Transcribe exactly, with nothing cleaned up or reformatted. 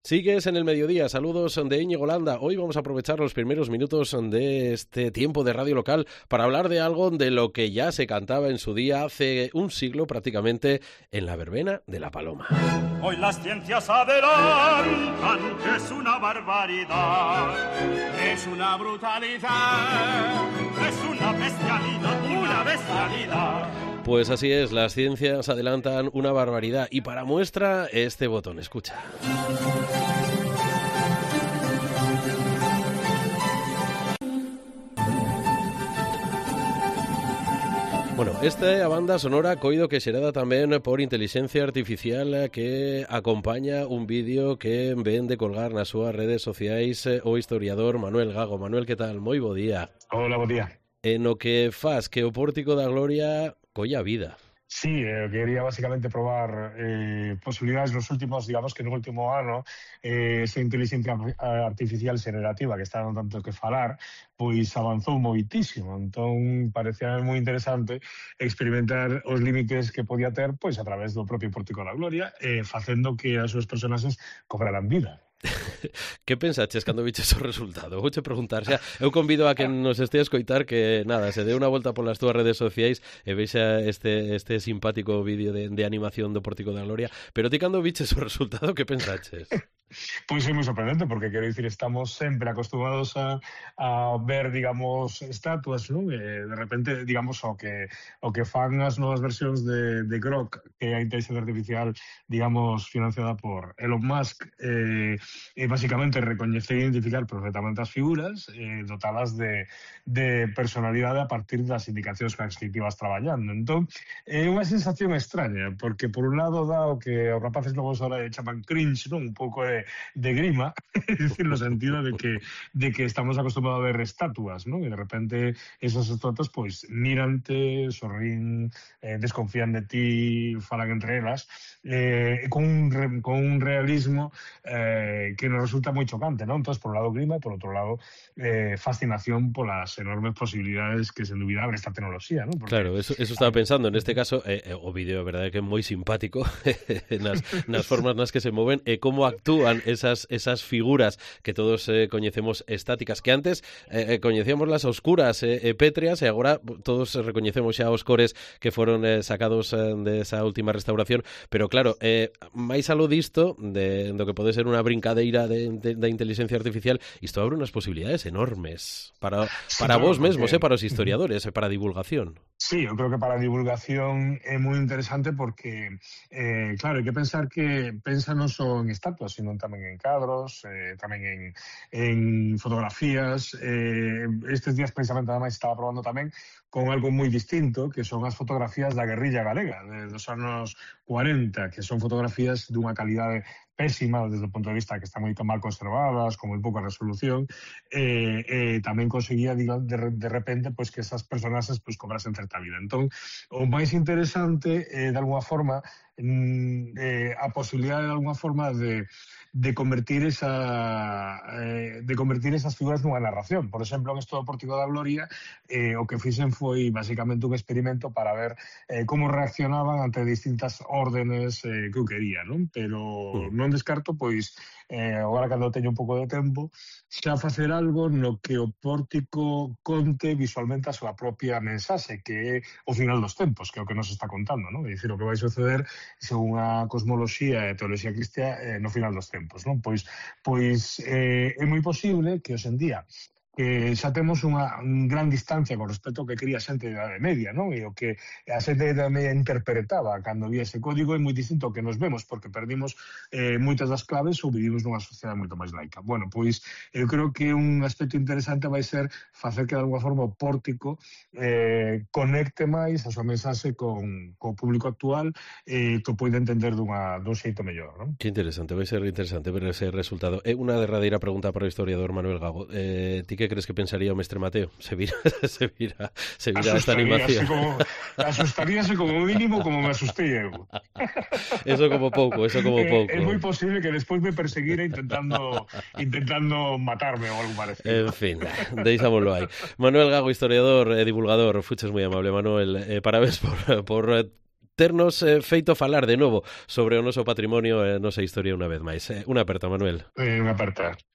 Sigues en el mediodía, saludos de Íñigo Landa. Hoy vamos a aprovechar los primeros minutos de este tiempo de radio local para hablar de algo de lo que ya se cantaba en su día hace un siglo prácticamente en la verbena de la Paloma. Hoy las ciencias adelantan que es una barbaridad, es una brutalidad, es una bestialidad, una bestialidad. Pues así es, las ciencias adelantan una barbaridad y para muestra este botón, escucha. Bueno, esta banda sonora coido que xerada tamén por inteligencia artificial que acompaña un vídeo que ven de colgar nas súas redes sociais o historiador Manuel Gago. Manuel, que tal? Moi bo día. Hola, bo día. En o que faz que o Pórtico da Gloria colla vida. Sí, eh, quería básicamente probar eh, posibilidades nos últimos, digamos que no último ano, eh, esa inteligencia artificial generativa que está dando tanto que falar, pois avanzou moitísimo. Entón, parecía moi interesante experimentar os límites que podía ter pois a través do propio Pórtico da Gloria, eh, facendo que as súas personaxes cobraran vida. Que pensaches cando viches o resultado? Vouche preguntar, xa, eu convido a quen nos este a escoitar que, nada, se dé unha volta polas túas redes sociais e vexa este, este simpático vídeo de, de animación do Pórtico da Gloria, pero ti cando viches o resultado, que pensaches? Pois é moi sorprendente, porque quero dicir, estamos sempre acostumados a, a ver, digamos, estatuas, non? E de repente, digamos, o que o que fan as novas versións de, de Grok, que é a inteligencia artificial, digamos, financiada por Elon Musk, eh, e basicamente recoñecer e identificar perfectamente as figuras, eh, dotalas de, de personalidade a partir das indicacións que as que ibas traballando. Entón, é unha sensación extraña, porque por un lado dá o que os rapaces novos ahora chaman cringe, non? Un pouco de de grima, es decir, no sentido de que de que estamos acostumbrados a ver estatuas, ¿no? Y de repente esas estatuas, pues, mírante, sorrín, eh, desconfían de ti, falan entre elas, eh, con, un re, con un realismo eh, que nos resulta moi chocante, ¿no? Entonces, por un lado grima, por outro lado eh, fascinación polas enormes posibilidades que, sen dúbida, abre esta tecnoloxía, ¿no? Porque, claro, eso, eso estaba pensando, en este caso, eh, o vídeo, a verdade, que é moi simpático nas, nas formas nas que se moven e como actúan esas esas figuras que todos eh, coñecemos estáticas, que antes eh, coñecíamos las oscuras e eh, eh, pétreas e agora todos recoñecemos xa os cores que foron eh, sacados eh, de esa última restauración, pero claro, eh, máis aló disto de, do que pode ser unha brincadeira de, de, de inteligencia artificial, isto abre unhas posibilidades enormes para, para sí, vos mesmos, porque... eh, para os historiadores, eh, para a divulgación. Sí, eu creo que para a divulgación é moi interesante porque, eh, claro, hai que pensar que pensa non só en estatuas, sino tamén en cadros, eh, tamén en, en fotografías. Eh, estes días precisamente ademais estaba probando tamén con algo moi distinto, que son as fotografías da guerrilla galega de, dos anos cuarenta, que son fotografías dunha calidade pésima desde o punto de vista que están moi mal conservadas, con moi pouca resolución, e eh, eh, tamén conseguía de, de repente pues, que esas personaxes pues, cobrasen certa vida. Entón, o máis interesante é, eh, de alguna forma, eh, a posibilidade de alguna forma de, de convertir esa eh, de convertir esas figuras nunha narración. Por exemplo, en esto do Pórtico da Gloria, eh, o que fixen foi basicamente un experimento para ver eh, como reaccionaban ante distintas órdenes eh, que eu quería, non? Pero non descarto, pois, eh, agora cando teño un pouco de tempo, xa facer algo no que o Pórtico conte visualmente a súa propia mensaxe, que é o final dos tempos, que é o que nos está contando, non? É dicir, o que vai suceder según a cosmoloxía e a teoloxía cristiá eh, no final dos tempos, non? Pois, pois eh, é moi posible que hoxe en día que xa temos unha gran distancia con respecto ao que quería a xente da Idade Media, non? E o que a xente da Idade Media interpretaba cando vía ese código é moi distinto ao que nos vemos, porque perdimos eh, moitas das claves ou vivimos nunha sociedade moito máis laica. Bueno, pois eu creo que un aspecto interesante vai ser facer que de alguma forma o Pórtico eh, conecte máis a súa mensaxe con, con o público actual e eh, que o poida entender dunha, dun xeito mellor, non? Que interesante, vai ser interesante ver ese resultado. É unha derradeira pregunta para o historiador Manuel Gago. Eh, ti que crees que pensaría o mestre Mateo? Se vira, se vira, se vira esta animación. Como, asustaríase como mínimo como me asustei eu. Eso como pouco, eso como pouco. É, é moi posible que despois me perseguira intentando intentando matarme ou algo parecido. En fin, deixámoslo aí. Manuel Gago, historiador e divulgador, fuches moi amable, Manuel. Eh, parabéns por, por ternos eh, feito falar de novo sobre o noso patrimonio e eh, nosa historia unha vez máis. Eh, unha aperta, Manuel. Eh, unha aperta.